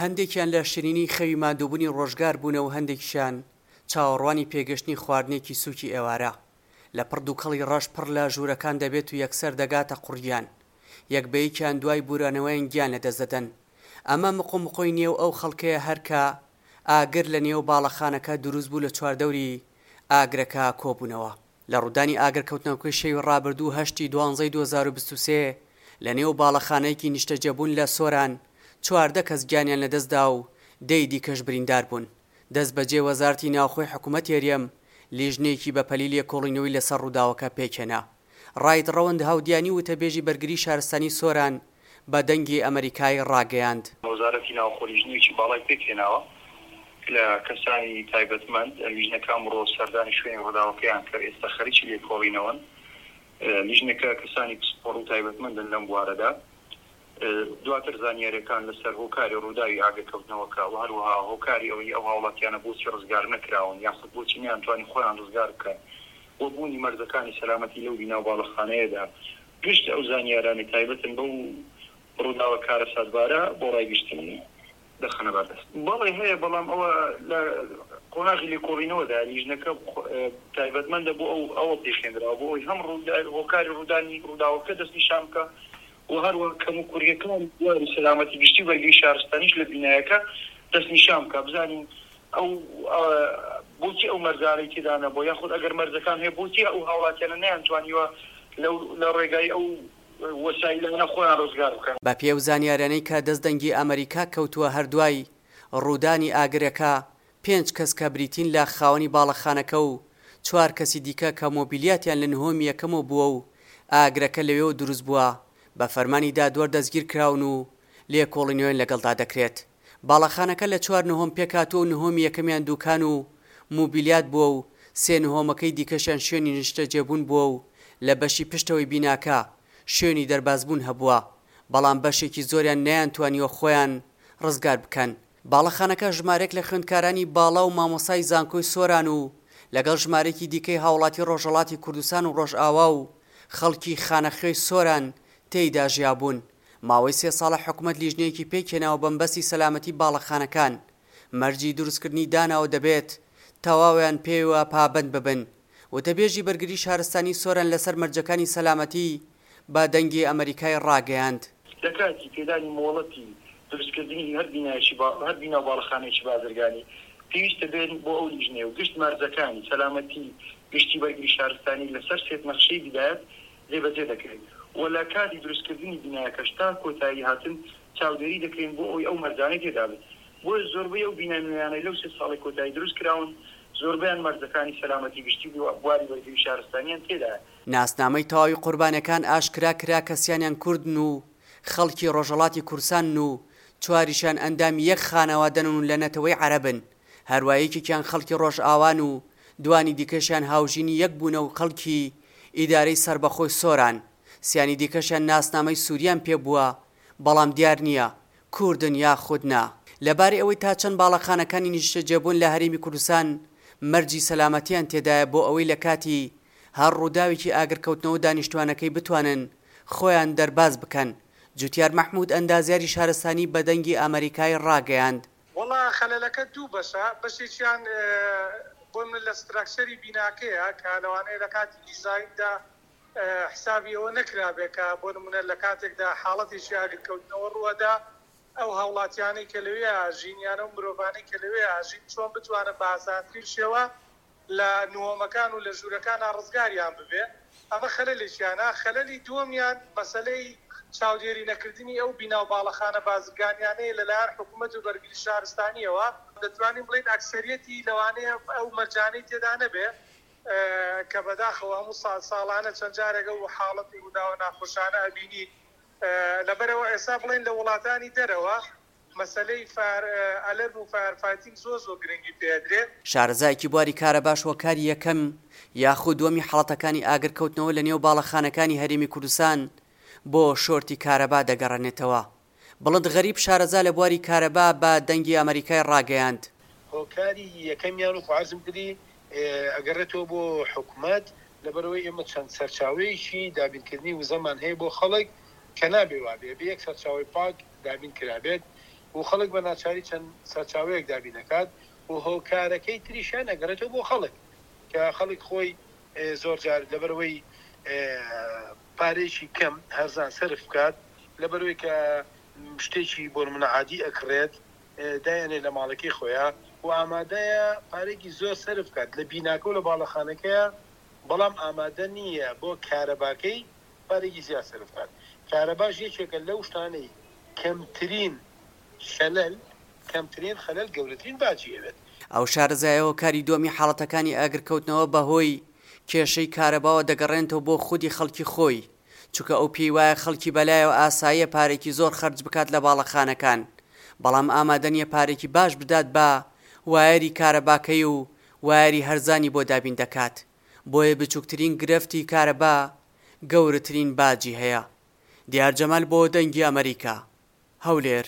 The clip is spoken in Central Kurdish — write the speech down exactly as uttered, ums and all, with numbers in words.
هەندێکیان لە شیرینی خەوی ماندووبوونی ڕۆژگار بوونە و هەندێکیشیان چاوەڕوانی پێگەشتنی خواردنێکی سووکی ئێوارە. لە پڕ دووکەڵی ڕەش پڕ لە ژوورەکان دەبێت و یەکسەر دەگاتە قوڕگیان. یەک بە یەکیان دوای بوورانەوەیان گیان لەدەست دەدەن. ئەمە مقۆمقۆی نێو ئەو خەڵکەیە هەر کە ئاگر لە نێو باڵەخانەکە دروست بوو لە چواردەوری ئاگرەکە کۆبوونەوە. لە ڕوودانی ئاگرکەوتنەوەکەی شەوی ڕابردوو هەشتی دوانزەی دوو هەزار و بیست و سێ لە نێو باڵەخانەیەکی نیشتەجێبوون لە سۆران چواردە کەس گیانیان لەدەستدا و دەی دیکەش بریندار بوون. دەستبەجێ وەزارەتی ناوخۆی حکوومەتی هەرێم لیژنەیەکی بەپەلی لێکۆڵینەوەی لەسەر ڕووداوەکە پێکهێنا. ڕائید ڕەوەند هاودیانی وتەبێژی بەرگری شارستانی سۆران بە دەنگی ئەمەریکای ڕاگەیاند. وەزارەتی ناوخۆ لیژنەیەکی باڵای پێکهێناوە لە کەسانی تایبەتمەند، لیژنەکە ئەمڕۆ سەردانی شوێنی ڕووداوەکەیان کرد، ئێستا خەریکی لێکۆڵینەوەن. لیژنەکە کەسانی پسپۆڕ و تایبەتمەندن لەم بوارەدا. دواتر زانیاریەکان لەسەر هۆکاری ڕووداوی ئاگرکەوتنەوەکە و هەروەها هۆکاری ئەوەی ئەو هاوڵاتیانە بۆچی ڕزگار نەکراون یاخود بۆچی نەیانتوانی خۆیان ڕزگار بکەن و بوونی مەرجەکانی سەلامەتی لەو بینا و باڵەخانەیەدا، گشت ئەو زانیارانەی تایبەتن بەو ڕووداوە کارەساتبارە بۆ ڕای گشتی دەخەنە بەردەست. بەڵێ هەیە، بەڵام ئەوە لە قۆناغی لێکۆڵینەوەدا لیژنەکە تایبەتمەندە بۆ ئەو ئەوە پێکهێنراوە بۆ ئەوەی هەم هۆکاری ڕوودانی ڕووداوەکە دەستنیشان بکە و هەروەها کەم و کوڕیەکان بواری سەلامەتی گشتی و بەرگری شارستانیش لە بینایەکە دەستنیشان بکە، بزانین ئەو بۆچی ئەو مەرجانەی تێدا نەبووە، یاخود ئەگەر مەرجەکان هەیە بۆچی ئەو هاوڵاتیانە نەیانتوانیوە لە ڕێگای ئەو وەسایلانە خۆیان ڕزگار بکەن. بە پێی ئەو زانیاریانەی کە دەست دەنگی ئەمەریکا کەوتووە هەر دوای ڕوودانی ئاگرەکە پێنج کەس کە بریتین لە خاوەنی باڵەخانەکە و چوار کەسی دیکە کە مۆبیلیاتیان لە نهۆمی یەکەمەوە بووە و ئاگرەکە لەوێوە دروست بووە بە فەرمانی دادوەر دەستگیرکراون و لێکۆڵینەوەیان لەگەڵدا دەکرێت. باڵەخانەکە لە چوار نهۆم پێکهاتووە و نهۆمی یەکەمیان دوکان و مۆبیلیات بووە و سێ نهۆمەکەی دیکەشیان شوێنی نیشتەجێبوون بووە و لە بەشی پشتەوەی بیناکە شوێنی دەربازبوون هەبووە، بەڵام بەشێکی زۆریان نەیانتوانیوە خۆیان ڕزگار بکەن. باڵەخانەکە ژمارەیەک لە خوێندکارانی باڵا و مامۆستای زانکۆی سۆران و لەگەڵ ژمارەیەکی دیکەی هاوڵاتی ڕۆژهەڵاتی کوردستان و ڕۆژئاوا و خەڵکی خانەخوێی سۆران تێیدا ژیابوون. ماوەی سێ ساڵە حکومەت لیژنەیەکی پێکهێناوە بەمبەستی سەلامەتی باڵەخانەکان مەرجی دروستکردنی داناوە دەبێت تەواویان پێوە پابەند ببن. وتەبێژی بەرگری شارستانی سۆران لەسەر مەرجەکانی سەلامەتی بە دەنگی ئەمەریکای ڕاگەیاند. لە کاتی پێدانی مۆڵەتی دروستکردنی هەر بینایەکی هەر بینا و باڵەخانەیەکی بازرگانی پێویستە بێن بۆ ئەو لیژنەیە و گشت مەرجەکانی سەلامەتی گشتی بەرگری شارستانی لەسەر سێت نەخشەی بیدایەت جێبەجێ دەکرێت و لە کاتی دروستکردنی بینایەکەش تا کۆتایی هاتن چاودێری دەکرێن بۆ ئەوەی ئەو مەرجانەی تێدا بێت. بۆیە زۆربەی ئەو بینا نوێیانەی لەو سێ ساڵەی کۆتایی دروست کراون زۆربەیان مەرجەکانی سەلامەتی گشتی و بواری بەرگری شارستانیان تێدایە. ناسنامەی تەواوی قوربانیەکان ئاشکرا کرا کە سیانیان کوردن و خەڵکی ڕۆژهەڵاتی کوردستانن و چواریشیان ئەندامی یەک خانەوادەن و لە نەتەوەی عەرەبن، هەروا یەکێکیان خەڵکی ڕۆژئاوان و دوانی دیکەشیان هاوژینی یەک بوونە و خەڵکی ئیدارەی سەربەخۆی سۆران، سیانی دیکەشیان ناسنامەی سوریان پێ بووە، بەڵام دیار نییە کوردن یاخود نا. لەبارەی ئەوەی تا چەند باڵەخانەکانی نیشتەجێبوون لە هەرێمی کوردستان مەرجی سەلامەتیان تێدایە بۆ ئەوەی لە کاتی هەر ڕووداوێکی ئاگرکەوتنەوە دانیشتوانەکەی بتوانن خۆیان دەرباز بکەن، جوتیار مەحمود ئەندازیاری شارستانی بە دەنگی ئەمەریکای ڕاگەیاند. وەڵا خەلەلەکە دوو بەشە، بەشێکیان بۆ من لە ستراکچەری بیناکەیە کە لەوانەیە لە کاتی دیزایندا حسابی ئەوە نەکرابێ کە بۆ نمونە لە کاتێکدا حاڵەتێکی ئاگرکەوتنەوە ڕووەدا ئەو هاوڵاتیانەی کە لەوێ ئاژین یان ئەو مرۆڤانەی کە لەوێ ئاژین چۆن بتوانن بە ئاسانترین شێوە لە نهۆمەکان و لە ژوورەکانا ڕزگاریان ببێ. ئەمە خەلەلێکیانە. خەلەلی دووەمیان مەسەلەی چاودێری نەکردنی ئەو بینا و باڵەخانە بازرگانیانەیە لەلایەن حکومەت و بەرگری شارستانییەوە. دەتوانین بڵێین ئەکسەریەتی لەوانەیە ئەو مەرجانەی تێدا نەبێ کە بەداخەوە هەموو ساڵ ساڵانە چەند جارێک ئەو حاڵەت و ڕووداوە ناخۆشانە ئەبینین. لەبەرئەوە ئێستا بڵێین لە وڵاتانی دەرەوە مەسەلەی فایەر ئەلەرم و فایەر فایتینگ زۆر زۆر گرنگی پێ ئەدرێ. شارەزایەکی بواری کارەباش هۆکاری یەکەم یاخود دووەمی حاڵەتەکانی ئاگرکەوتنەوە لە نێو باڵەخانەکانی هەرێمی کوردستان بۆ شۆرتی کارەبا دەگەڕێنێتەوە. بڵند غەریب شارەزا لە بواری کارەبا بە دەنگی ئەمەریکای ڕاگەیاند، هۆکاری یەکەمیان وەکو عەرزم کردی ئەگەڕێتەوە بۆ حکومەت، لەبەرئەوەی ئێمە چەند سەرچاوەیەکی دابینکردنی وزەمان هەیە بۆ خەڵک کە نابێ وابێ، ئەبێ یەک سەرچاوەی پاک دابین کرابێت. و خەڵک بە ناچاری چەند سەرچاوەیەک دابین ئەکات و هۆکارەکەی تریشیان ئەگەڕێتەوە بۆ خەڵک کە خەڵک خۆی زۆر جار لەبەرئەوەی پارەیەکی کەم هەرزان سەرف بکات لەبەرئەوەی کە شتێکی بۆ نمونە عادی ئەکڕێت دایئەنێ لە ماڵەکەی خۆیا و ئامادەیە پارەیەکی زۆر سەرف بکات لە بیناکە و لە باڵەخانەکەیا بەڵام ئامادە نییە بۆ کارەباکەی پارەیەکی زیاد سەرف بکات کارەباش یەکێکە لەو شتانەی کەمترین خەلەل کەمترین خەلەل گەورەترین باجی ئەوێت. ئەو شارەزایە هۆکاری دووەمی حاڵەتەکانی ئاگرکەوتنەوە بەهۆی کێشەی کارەباوە دەگەڕێنێتەوە بۆ خودی خەڵکی خۆی، چونکە ئەو پێی وایە خەڵکی بەلایەوە ئاساییە پارێکی زۆر خەرج بکات لە باڵەخانەکان، بەڵام ئامادە نییە پارێکی باش بدات بە وایەری کارەباکەی و وایەری هەرزانی بۆ دابین دەکات، بۆیە بچوکترین گرفتی کارەبا گەورەترین باجی هەیە. دیار جەمال بۆ دەنگی ئەمەریکا، هەولێر.